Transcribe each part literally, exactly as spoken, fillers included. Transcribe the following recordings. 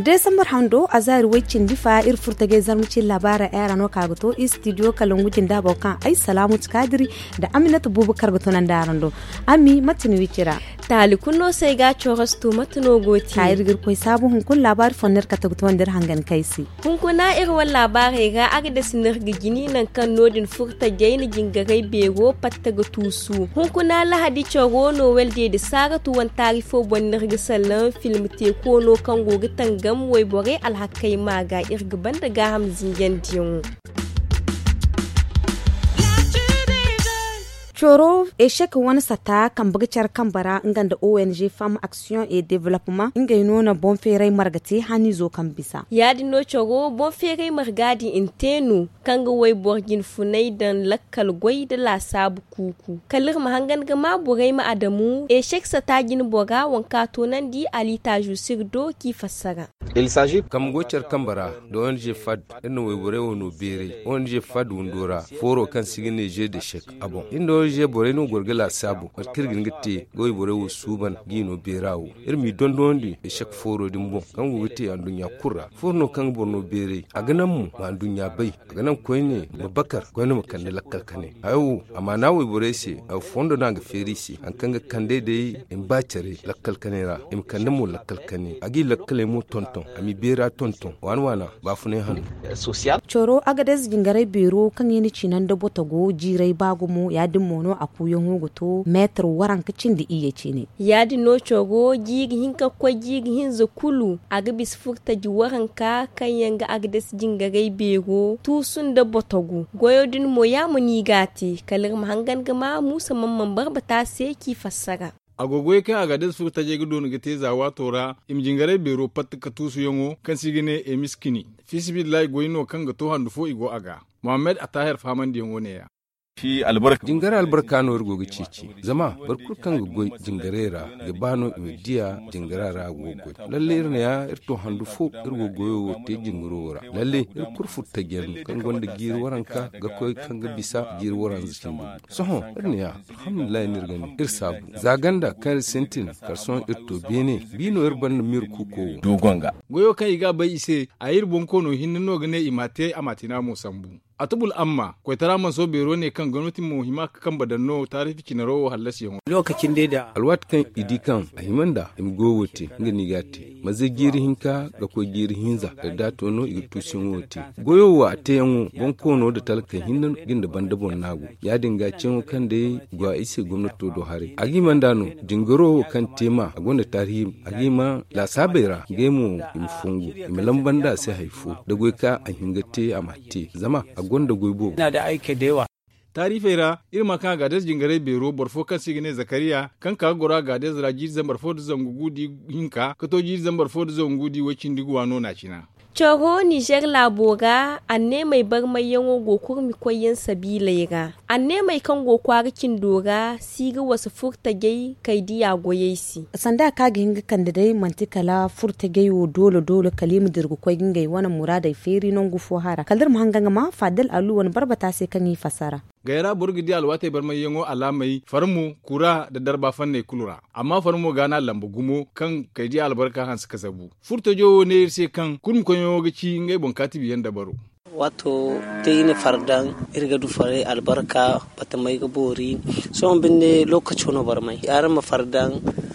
Desambar hando a zaari way cindi fa iri furtagay zarma cin laabaara ay ra no ka ga to istidiyo kalangu jinda boro kaŋ ay salaamu ti kaadiri nda aminata buubu kar ga tunandi araŋ do. Ami mate ni wicira? Taali kulu no se ay ga a cooros to mate no go ti ka iri ga iri koy saabu hunkuna laabaari fo no iri kate ga toonda iri hangan kay se. Hunkuna iri wane laabaarey ra a ga dasi no iri ga jini nangu kaŋ no- din furtajey na jingaray beero patta ga tuusu hunkuna lahadi caro nowel deede saaratu wane taari fo boŋ no iri ga sallaŋ film teeko no kaŋ go ga tangam wayborey alhakey ma ga iri ga banda gaaham zinjandiyaŋo. Coro echec wane sata kambe ga care kambe ra nga nda ong femme action et developpement ngey no na boŋ feeray marga te haniizo kaŋ bisa ya- din no coro boŋ feeray marga din nte no kaŋ ga wayboro jinfunay daŋ lakkal goy nda laasaabu kuuku kala iri ma hangan ga ma borey ma adamu echec sata jinbora waŋ kaŋ a toonandi alitaazu sirdo k'i fassara. Kambe go care kambe ra nda ong fad iri na wayborey wo no beeray ong fad windo ra fooro kaŋ se i ga ne jeu de chec a boŋ iri nda ong borey no goro ga laasaabu mate kaŋ iri ga hin ga te ga wayborey wo suuban g'i no beera wo iri m'i dondonandi echec fooro din boŋ kaŋ go ga te anduɲɲa kulu ra fooro no kaŋ ga boro no beeray a ga naŋ mo ma anduɲɲa bay a ga naŋ koyne ma bakar koyne ma kande lakkal kane hayo wo a maana wayborey se hayo fondo no a ga feeri i se hari kaŋ ga kand'ey day i ma ba care lakkal kaney ra i ma kande mo lakkal kaney a g'i lakkaley mo tonton a m'i beera tonton waana waana baafunay hanno. Coro agades jingaray beero kaŋ i na cina nda botogo jiiray ba gumo ya- din mo no a kuuyaŋo ga to meetar waranka cindi iyye cine. Ya- din no coro jiiri hinka ga koy jiiri hinza kulu a ga bisa furtaji waranka kaŋ yaŋ ga agades jingaray beero tuusu nda botogu goyo din mo ya mo no i g'a te kala iri ma hangan ga ma muusa man man barbata se k'i fassara. A go goyey kaŋ agades furtajey ga doona ga te za waato ra i ma jingaray beero patta ka tuusuyaŋo kaŋ se i ga ne emiskini fiisabilillahi goy no kaŋ ga to handu fo i go a ga. Mohammed attahir fahamandiyaŋo neeya. Jingara albarka no iri go ga ceeci zama boro kulu kaŋ ga goy jingarey ra ga ba no i ma diya jingara ra a go ga goy. Lalle iri ne ya iri to handu fo iri go goyo wo te jingaro wo ra lalle iri kulu furtajiyaŋ no kaŋ gonda jiiri waranka ga koy kaŋ ga bisa jiiri waranza cindi. Sohõ iri ne ya alhamdulillahi no iri ga ne iri saabu za ganda kaŋ iri sintin kala sohõ iri to beene bi no iri banda miiri kuuko wo. Goyo kaŋ i ga a bay i se a iri bonkoono hinne no ga ne i m'a te a ma tina mo sambu. Atubul amma koytara manso beero ne kaŋ gomnati mo hima ga kambe daŋ no taarifi cinaro wo hallasiyaŋo. Alwaati kaŋ i di kaŋ a hima nd'a i ma goyo wo te nga no i g'a te. Maze jiiri hinka ga koy jiiri hinza kala da a to no i ga tuusuyaŋo wo te. Goyo wo a teeyaŋo bonkoono nda talkey hinne ga nda banda boŋ no a go. Ya- din ga ceeyaŋo kaŋ day go a i se gomnato do haray a ga hima nd'a no. Jingaro wo kaŋ te ma a gonda taarihi a ga hima laasaabey ra ngey mo i ma fongu i ma lamba nd'a se hari fo da goy kaŋ a hin ga te a ma te zama a gonda goy boobo. Taarifey ra iri ma kaŋ a ga adres jingaray beero boro fo kaŋ se i ga ne zakariya kaŋ ka ga goro a ga adres ra jiiri zambar fo nda zangu gu da i hinka ka to jiiri zambar fo nda zangu gu da i way cindi gu waano no a cina. Coro nizer laabo ra anneemey barmayyaŋo go kurmi koyyaŋ sabiiley ra. Anneemey kaŋ go kwaara cindo ra si ga wasa furtajey kay diya goyey se. Sanda kaŋ a ga hin ga kande day manti kala furtajey wo doole doole kala i ma dira ga koy ga ngey wane muraadey feeri nangu fo hara kala iri ma hangan ga ma faadal alu wane barbata se kaŋ i fassara. Gayra boro ga di alwaatey barmayyaŋo alaamey farmo kura nda darba fanney kulu ra. Amma farmo ga no a lamba gumo kaŋ kay diya albarka hanse ka zabu. Furtajo wo ne iri se kaŋ kurmi koyyaŋo ga ci ngey boŋ kaatibiyaŋ dabaro. Waato day i na far daŋ iri ga du faray albarka. Batamey ga boori. Sohõ binde lookaco no barmay araŋ ma far daŋ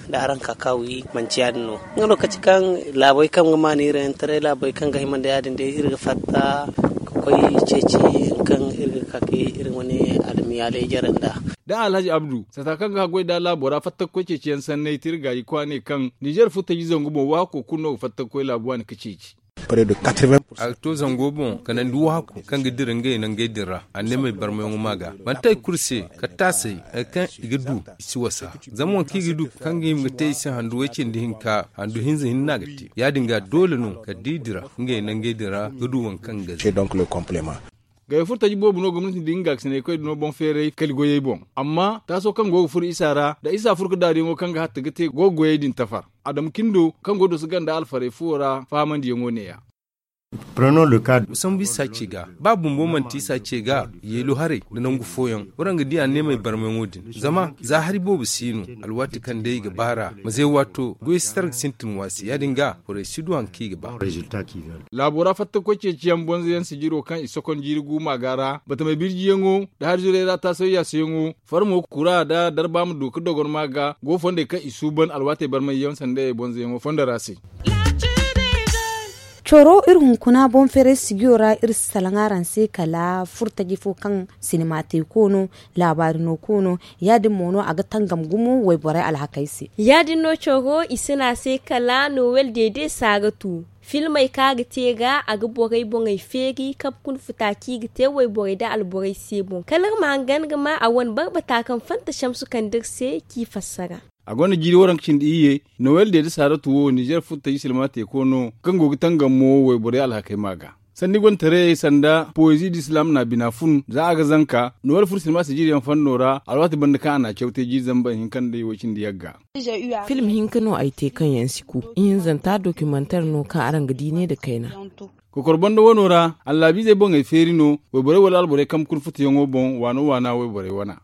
nda araŋ ka ka wi manci ya- din no. Nga lookaci kaŋ laabey kaŋ ga maana iri yaŋ taray laabey kaŋ ga hima nda ya- din day iri ga fatta ka koy ceeci kaŋ iri ga ka ka iri wane almiyaaley jare nd'a. Da alhaji abdu sata kaŋ ga haggoy da laabo ra fatta ga koy ceeciyaŋ sanney te iri gaayi kwaaney kaŋ nizer furtaji zangu boŋ waako kulu no ga fatta ga koy laabu waani ga ceeci. A ga to zango boŋ kanandi waako kaŋ ga dira ngey nangey din ra anneemey barmayaŋo ma ga manti hari kulu se kala taasey hari kaŋ i ga du i si wasa. Zama waŋ kaŋ i ga du kaŋ ga hima ga te i se handu way cindi hinka handu hinza hinne no a ga te ya- din ga doole no kala da i dira ngey nangey din ra ga du waŋ kaŋ ga ze. Gayey furtaji boobo no gomnati nda nga gaakisiney koy da no boŋ feeray kali goyey boŋ. Amma taaso kaŋ go ga furo isa ra nda isa furo ga daariyaŋo kaŋ ga hatta ga te go ga goyey din tafar. Adamu cindo kaŋ go ga doso ganda alfarey fuwo ra fahamandiyaŋo neeya. Sambu isa ce ga ba bumbo manti isa ce ga yeelu haray nda nangu fooyaŋ. Waraŋ ga di a neemey barmayaŋo din zama za hari boobo si no. Alwaati kaŋ day i ga baar'a ma zay waato goy si tar ga sintin waasi ya- din ga borey si du haŋ kaŋ i ga ba. Laabo ra fattakoy ceeciyaŋ bonzoyaŋ sijiro kaŋ i sokon jiiri guuma ga ra batamey birjiyaŋo nda hari zurey ra taasay yaasayaŋo farmo kura nda darba ma du ga dogonma ga go fondey kaŋ i suuban alwaatey barmayyaŋ sanda bonzoyaŋo fondo ra se. Coro iri hunkuna boŋ feeray sijiyo ra iri si salaŋ araŋ se kala furtaji fo kaŋ sinima te koono laabaari no koono. Ya- din mo no a ga tangam gumo wayborey alhakey se. Ya- din no coro i si ne a se kala nowel deede saaratu filmey kaŋ a ga te ga a ga borey boŋey feeri kaŋ ga kuna futa kaŋ i ga te wayborey nda alborey se boŋ kala iri ma hangan ga ma a wane barbata kaŋ fanta samsu kande iri se kaŋ i fassara. A gonda jiiri waranka cindi iyye nowel deede saaratu wo nizer furtaji silma teeko no kaŋ go ga tangam mo wayborey alhakey ma ga sanni gontaray sanda poezi d'islam na bina fun za a ga zanka nowel fur silma sijiriyaŋ fanno ra alwaati banda kaŋ a na a caw te jiiri zambar hinka nda way cindi yagga. Film hinka no ay te kaŋ yaŋ si ku ihinzanta dokimantar no kaŋ araŋ ga di ne nda kayna. Kokor banda wano ra allaabiizey boŋey feeri no wayborey wala alborey kambe kuna futuyaŋo boŋ waano waana wayborey wana.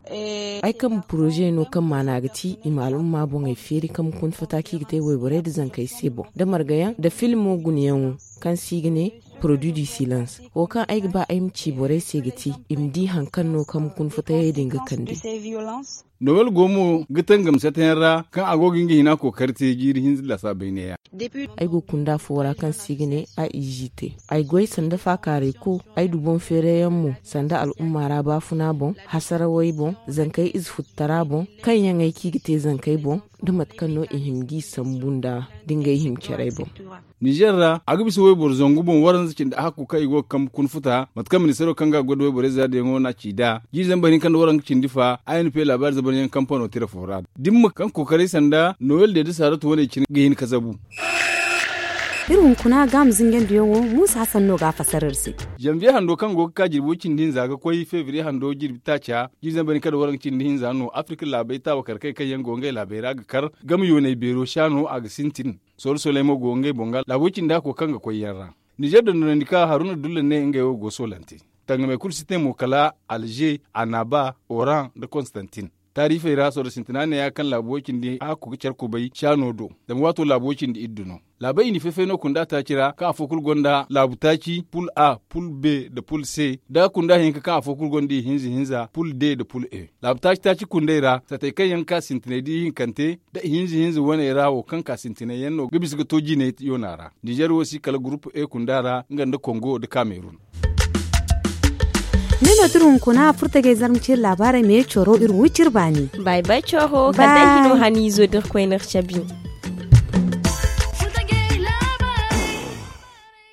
Ay kambe poroze no kaŋ maana ga ti i ma al'umma boŋey feeri kambe kuna futa kaŋ i ga te wayborey nda zankey se boŋ nda margayaŋ nda filmo gunayaŋo kaŋ se i ga ne produit du silence. Wo kaŋ ay ga ba ay ma ci borey se ga ti i ma di hari kaŋ no kambe kuna futayey din ga kande. Nowel go mo ga tangam satayaŋ ra kaŋ a go ga nga hina kookari te jiiri hinza laasa bayneya. Ay go kunda fo ra kaŋ se i ga ne a izi te. Ay goy sanda faakaaray ku ay du boŋ feerayaŋ mo sanda al'umma ra baafuna boŋ hasarawey boŋ zankey ize futtara boŋ kaŋ yaŋey kaŋ i ga te zankey boŋ nda mate kaŋ no i hima ga i sambu nda da ngey hima carey boŋ. Nizer ra a ga bisa wayboro zangu boŋ waranza cindi ahakku kaŋ i go ga kambe kuna futa mate kaŋ ministeero kaŋ ga a goy nda wayborey zaadiyaŋo no a ci nd'a jiiri zambar hinka nda waranka cindi fa a n p laabaari zabaryaŋ kampano tira fo ra dimma kaŋ kookaray sanda nowel deede saaratu wane cine ga hin ka zabu. Iri hunkuna ga a ma zinjandiyaŋo muusa hasan no ga a fasar iri se. Zanviye hando kaŋ go ga ka jirbi way cindi hinza ga koy febriye hando jirbi taaca jiiri zambar hinka nda waranka cindi hinza no afirka laabey taabakar kay kaŋ yaŋ go ngey laabey ra ga kar game yooney beero saano a ga sintin. Sooro sooley mo go ngey boŋ ga laabo cindi hako kaŋ ga koy yaŋ ra. Nizer dondonandi ka haruna dulla ne ngey wo go soolante. Tangamey kulu si te mo kala alze, anaba, oran nda konstantin. Taarifey ra sooro sintina neeya kaŋ laabo cindi hako ga care kubay saano do. Zama waato laabo cindi iddu no. Laabey i na fay-fay no kunda taaci ra kaŋ afo kulu gonda laabu taaci pul a, pul b, nda pul c. Da kunda hinka kaŋ afo kulu gonda ihinza hinza pul d nda pul e. Laabu taaci taaci kundey ra satey kaŋ yaŋ ga ka sintinay da ihinkante nda ihinza hinza waney ra wo kaŋ ka sintinay yaŋ no ga bisa ga to jinay yoona ra. Nizer wo si kala gurupu e kunda ra nga nda kongo nda kamerun. Ni no tira hunkuna furtajey zarma ciri laabaarey me coro iri wi ciri baani. Bay bay coro kala day hino haniizo da iri koyne iri cabi.